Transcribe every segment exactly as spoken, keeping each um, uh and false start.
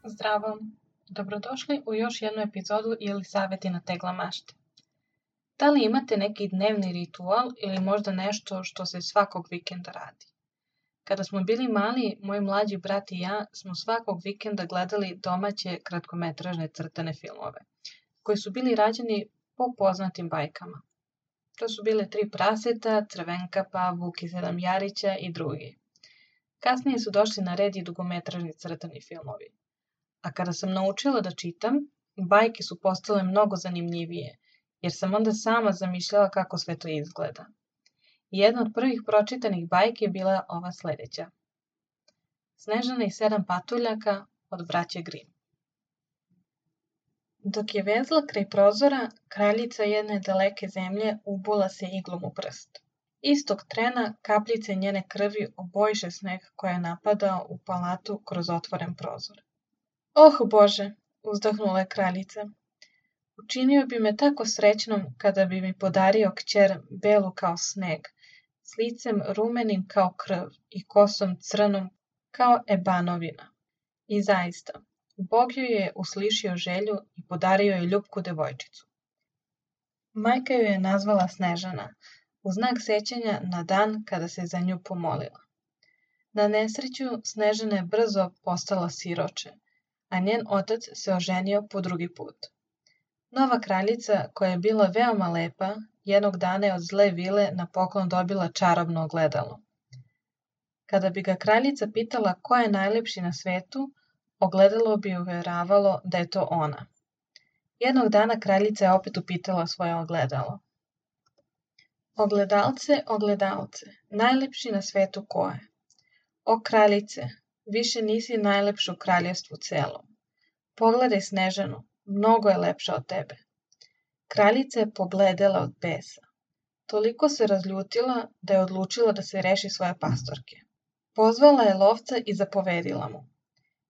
Zdravo, dobrodošli u još jednu epizodu ili savjeti na tegla mašte. Da li imate neki dnevni ritual ili možda nešto što se svakog vikenda radi? Kada smo bili mali, moj mlađi brat i ja smo svakog vikenda gledali domaće kratkometražne crtane filmove, koji su bili rađeni po poznatim bajkama. To su bile Tri praseta, Crvenkapa, Vuk i sedam Jarića i drugi. Kasnije su došli na red i dugometražni crtani filmovi. A kada sam naučila da čitam, bajke su postale mnogo zanimljivije, jer sam onda sama zamišljala kako sve to izgleda. I jedna od prvih pročitanih bajki je bila ova sljedeća. Snežana i sedam patuljaka od braće Grimm. Dok je vezla kraj prozora, kraljica jedne daleke zemlje ubula se iglom u prst. Istog trena kapljice njene krvi obojiše sneg koja je napadao u palatu kroz otvoren prozor. Oh Bože, uzdahnula je kraljica. Učinio bi me tako srećnom kada bi mi podario kćer belu kao sneg, s licem rumenim kao krv i kosom crnom kao ebanovina. I zaista, Bog joj je uslišio želju i podario joj ljupku devojčicu. Majka joj je nazvala Snežana, u znak sećanja na dan kada se za nju pomolila. Na nesreću Snežana je brzo postala siroče, a njen otac se oženio po drugi put. Nova kraljica, koja je bila veoma lepa, jednog dana je od zle vile na poklon dobila čarobno ogledalo. Kada bi ga kraljica pitala ko je najlepši na svetu, ogledalo bi uveravalo da je to ona. Jednog dana kraljica je opet upitala svoje ogledalo. Ogledalce, ogledalce, najlepši na svetu ko je? O kraljice, više nisi najlepša u kraljevstvu celom. Pogledaj Snežanu, mnogo je lepša od tebe. Kraljica je pobledela od besa. Toliko se razljutila da je odlučila da se reši svoje pastorke. Pozvala je lovca i zapovedila mu.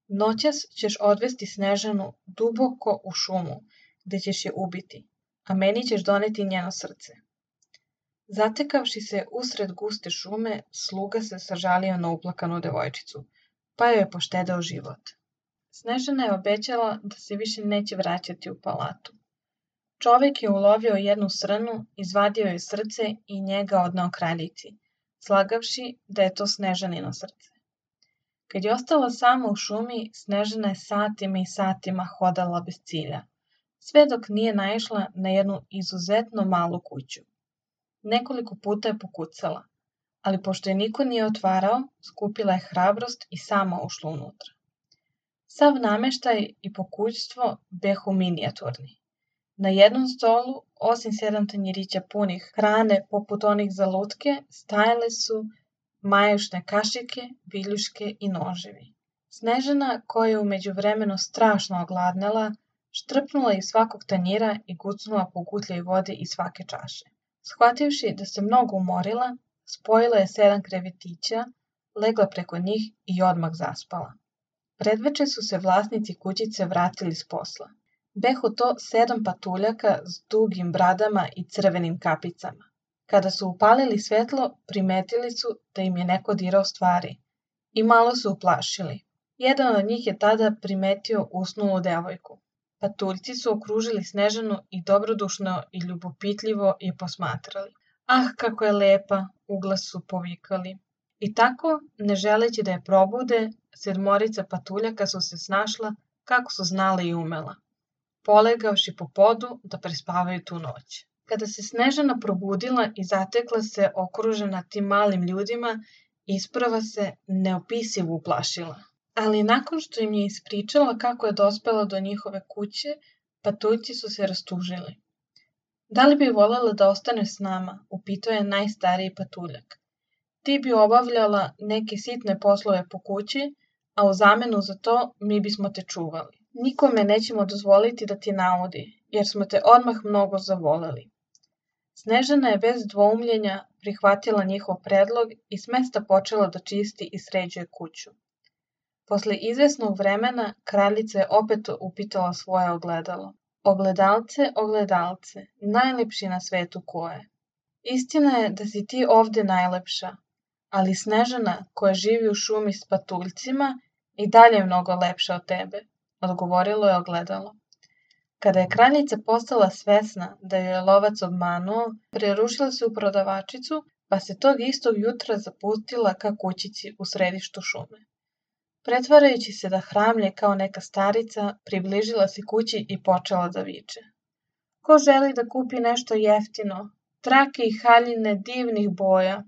Noćas ćeš odvesti Snežanu duboko u šumu, gde ćeš je ubiti, a meni ćeš doneti njeno srce. Zatekavši se usred guste šume, sluga se sažalio na uplakanu devojčicu, pa joj je poštedeo život. Snežana je obećala da se više neće vraćati u palatu. Čovjek je ulovio jednu srnu, izvadio joj srce i njega odneo kraljici, slagavši da je to Snežanino srce. Kad je ostala sama u šumi, Snežana je satima i satima hodala bez cilja, sve dok nije naišla na jednu izuzetno malu kuću. Nekoliko puta je pokucala, ali pošto je niko nije otvarao, skupila je hrabrost i sama ušla unutra. Sav nameštaj i pokućstvo behu minijaturni. Na jednom stolu, osim sedam tanjirića punih hrane poput onih za lutke, stajale su majušne kašike, viljuške i noževi. Snežana, koja je u međuvremenu strašno ogladnela, štrpnula iz svakog tanjira i gucnula po gutljaj vode iz svake čaše. Shvativši da se mnogo umorila, spojila je sedam krevetića, legla preko njih i odmah zaspala. Predveče su se vlasnici kućice vratili s posla. Behu to sedam patuljaka s dugim bradama i crvenim kapicama. Kada su upalili svetlo, primetili su da im je neko dirao stvari i malo su uplašili. Jedan od njih je tada primetio usnulu devojku. Patuljci su okružili Snežanu i dobrodušno i ljubopitljivo je posmatrali. Ah, kako je lepa, uglas su povikali. I tako, ne želeći da je probude, sedmorica patuljaka su se snašla kako su znala i umela, polegavši po podu da prespavaju tu noć. Kada se Snežana probudila i zatekla se okružena tim malim ljudima, isprva se neopisivo uplašila. Ali nakon što im je ispričala kako je dospela do njihove kuće, patuljci su se rastužili. Da li bi voljela da ostane s nama, upitao je najstariji patuljak. Ti bi obavljala neke sitne poslove po kući, a u zamenu za to mi bismo te čuvali. Nikome nećemo dozvoliti da ti naudi, jer smo te odmah mnogo zavoleli. Snežana je bez dvoumljenja prihvatila njihov predlog i s mesta počela da čisti i sređuje kuću. Posle izvesnog vremena kraljica je opet upitala svoje ogledalo. Ogledalce, ogledalce, najlepši na svetu ko je? Istina je da si ti ovde najlepša, ali Snežana koja živi u šumi s patuljcima i dalje je mnogo lepša od tebe. odgovorilo je ogledalo. Kada je kraljica postala svesna da ju je lovac obmanuo, prerušila se u prodavačicu, pa se tog istog jutra zapustila ka kućici u središtu šume. Pretvarajući se da hramlje kao neka starica, približila se kući i počela da viče. Ko želi da kupi nešto jeftino, trake i haljine divnih boja?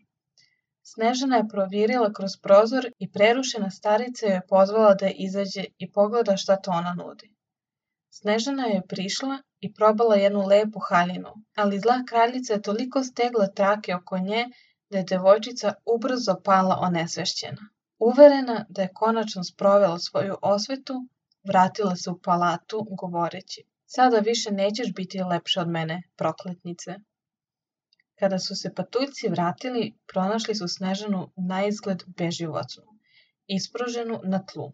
Snežana je provirila kroz prozor i prerušena starica joj je pozvala da izađe i pogleda šta to ona nudi. Snežana je prišla i probala jednu lepu haljinu, ali zla kraljica je toliko stegla trake oko nje da je devojčica ubrzo pala onesvešćena. Uverena da je konačno sprovela svoju osvetu, vratila se u palatu govoreći: Sada više nećeš biti lepša od mene, prokletnice. Kada su se patuljci vratili, pronašli su Snežanu naizgled beživotnu, ispruženu na tlu.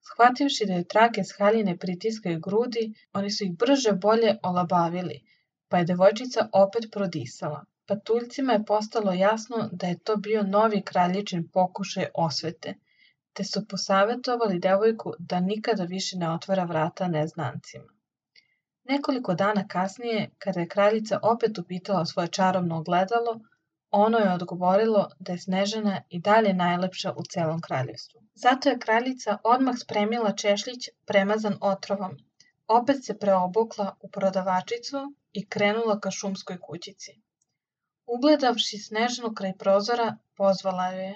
Shvativši da je trake s haljine pritiskaju grudi, oni su ih brže bolje olabavili, pa je devojčica opet prodisala. Patuljcima je postalo jasno da je to bio novi kraljičin pokušaj osvete, te su posavetovali devojku da nikada više ne otvara vrata neznancima. Nekoliko dana kasnije, kada je kraljica opet upitala svoje čarobno ogledalo, ono je odgovorilo da je Snežana i dalje najlepša u celom kraljevstvu. Zato je kraljica odmah spremila češljić premazan otrovom, opet se preobukla u prodavačicu i krenula ka šumskoj kućici. Ugledavši Snežanu kraj prozora, pozvala joj je: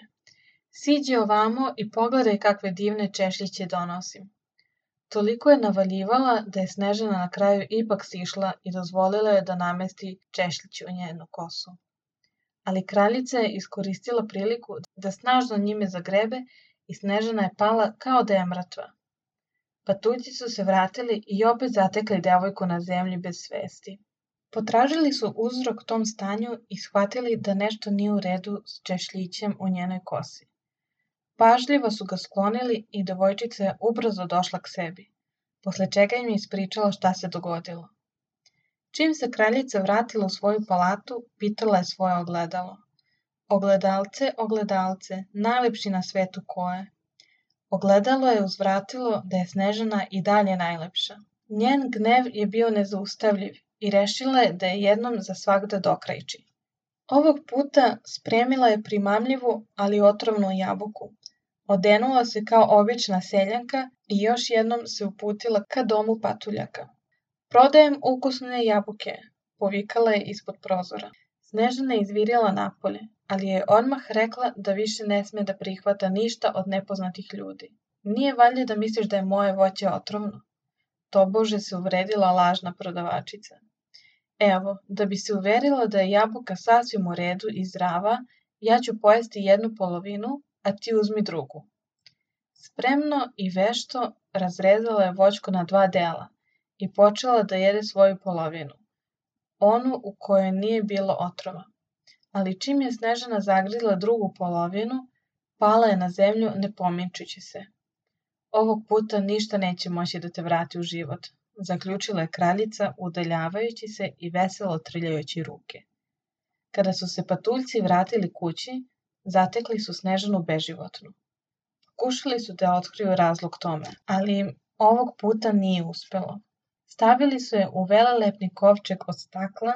Siđi ovamo i pogledaj kakve divne češljiće donosim. Toliko je navaljivala da je Snežana na kraju ipak sišla i dozvolila je da namesti češljić u njenu kosu. Ali kraljica je iskoristila priliku da snažno njime zagrebe i Snežana je pala kao da je mrtva. Patuljci su se vratili i opet zatekli devojku na zemlji bez svesti. Potražili su uzrok tom stanju i shvatili da nešto nije u redu s češljićem u njenoj kosi. Pažljivo su ga sklonili i devojčica je ubrzo došla k sebi, posle čega im je ispričala šta se dogodilo. Čim se kraljica vratila u svoju palatu, pitala je svoje ogledalo: Ogledalce, ogledalce, najlepši na svetu ko je? Ogledalo je uzvratilo da je Snežana i dalje najlepša. Njen gnev je bio nezaustavljiv i rešila je da je jednom za svagda dokrajči. Ovog puta spremila je primamljivu, ali otrovnu jabuku. Odenula se kao obična seljanka i još jednom se uputila ka domu patuljaka. Prodajem ukusne jabuke, povikala je ispod prozora. Snežana je izvirila napolje, ali je odmah rekla da više ne sme da prihvata ništa od nepoznatih ljudi. Nije valjda da misliš da je moje voće otrovno? Tobože se uvredila lažna prodavačica. Evo, da bi se uverila da je jabuka sasvim u redu i zdrava, ja ću pojesti jednu polovinu, a ti uzmi drugu. Spremno i vešto razrezala je voćku na dva dela i počela da jede svoju polovinu, onu u kojoj nije bilo otrova. Ali čim je Snežana zagrizla drugu polovinu, pala je na zemlju ne pominčući se. Ovog puta ništa neće moći da te vrati u život, zaključila je kraljica udaljavajući se i veselo trljajući ruke. Kada su se patuljci vratili kući, zatekli su Snežanu beživotnu. Pokušali su da otkriju razlog tome, ali im ovog puta nije uspelo. Stavili su je u velelepni kovčeg od stakla,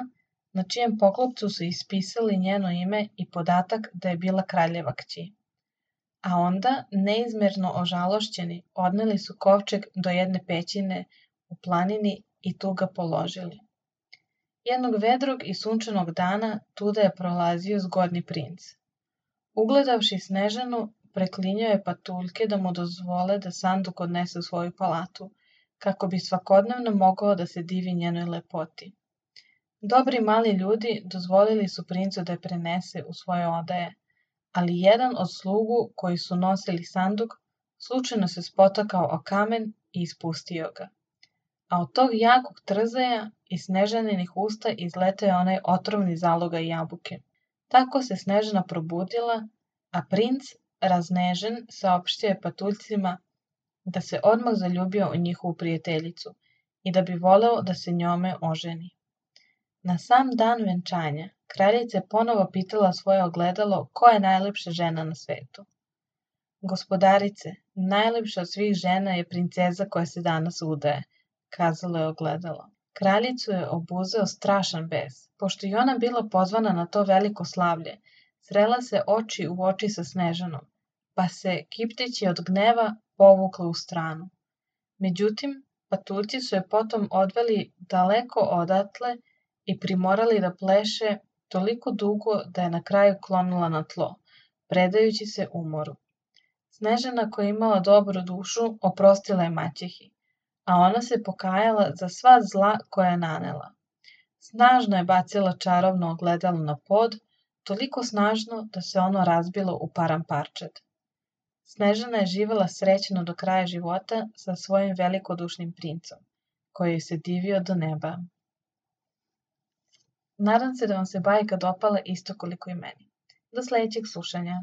na čijem poklopcu su ispisali njeno ime i podatak da je bila kraljeva kći. A onda, neizmerno ožalošćeni, odneli su kovčeg do jedne pećine u planini i tu ga položili. Jednog vedrog i sunčanog dana tuda je prolazio zgodni princ. Ugledavši Snežanu, preklinjao je patuljke da mu dozvole da sanduk odnese u svoju palatu, kako bi svakodnevno mogao da se divi njenoj lepoti. Dobri mali ljudi dozvolili su princu da je prenese u svoje odaje, ali jedan od slugu koji su nosili sanduk slučajno se spotakao o kamen i ispustio ga. A od tog jakog trzaja iz Snežaninih usta izletao je onaj otrovni zalogaj jabuke. Tako se Snežana probudila, a princ, raznežen, saopštio je patuljcima da se odmah zaljubio u njihovu prijateljicu i da bi voleo da se njome oženi. Na sam dan venčanja, kraljica je ponovo pitala svoje ogledalo ko je najlepša žena na svetu. Gospodarice, najlepša od svih žena je princeza koja se danas udaje, kazalo je ogledalo. Kraljicu je obuzeo strašan bes. Pošto i ona bila pozvana na to veliko slavlje, srela se oči u oči sa Snežanom, pa se, kipteći od gneva, povukla u stranu. Međutim, patuljci su je potom odveli daleko odatle i primorali da pleše toliko dugo da je na kraju klonula na tlo, predajući se umoru. Snežana, koja je imala dobru dušu, oprostila je maćehi, a ona se pokajala za sva zla koja je nanela. Snažno je bacila čarobno ogledalo na pod, toliko snažno da se ono razbilo u param parčad. Snežana je živela srećno do kraja života sa svojim velikodušnim princom, koji joj se divio do neba. Nadam se da vam se bajka dopala isto koliko i meni. Do sledećeg slušanja.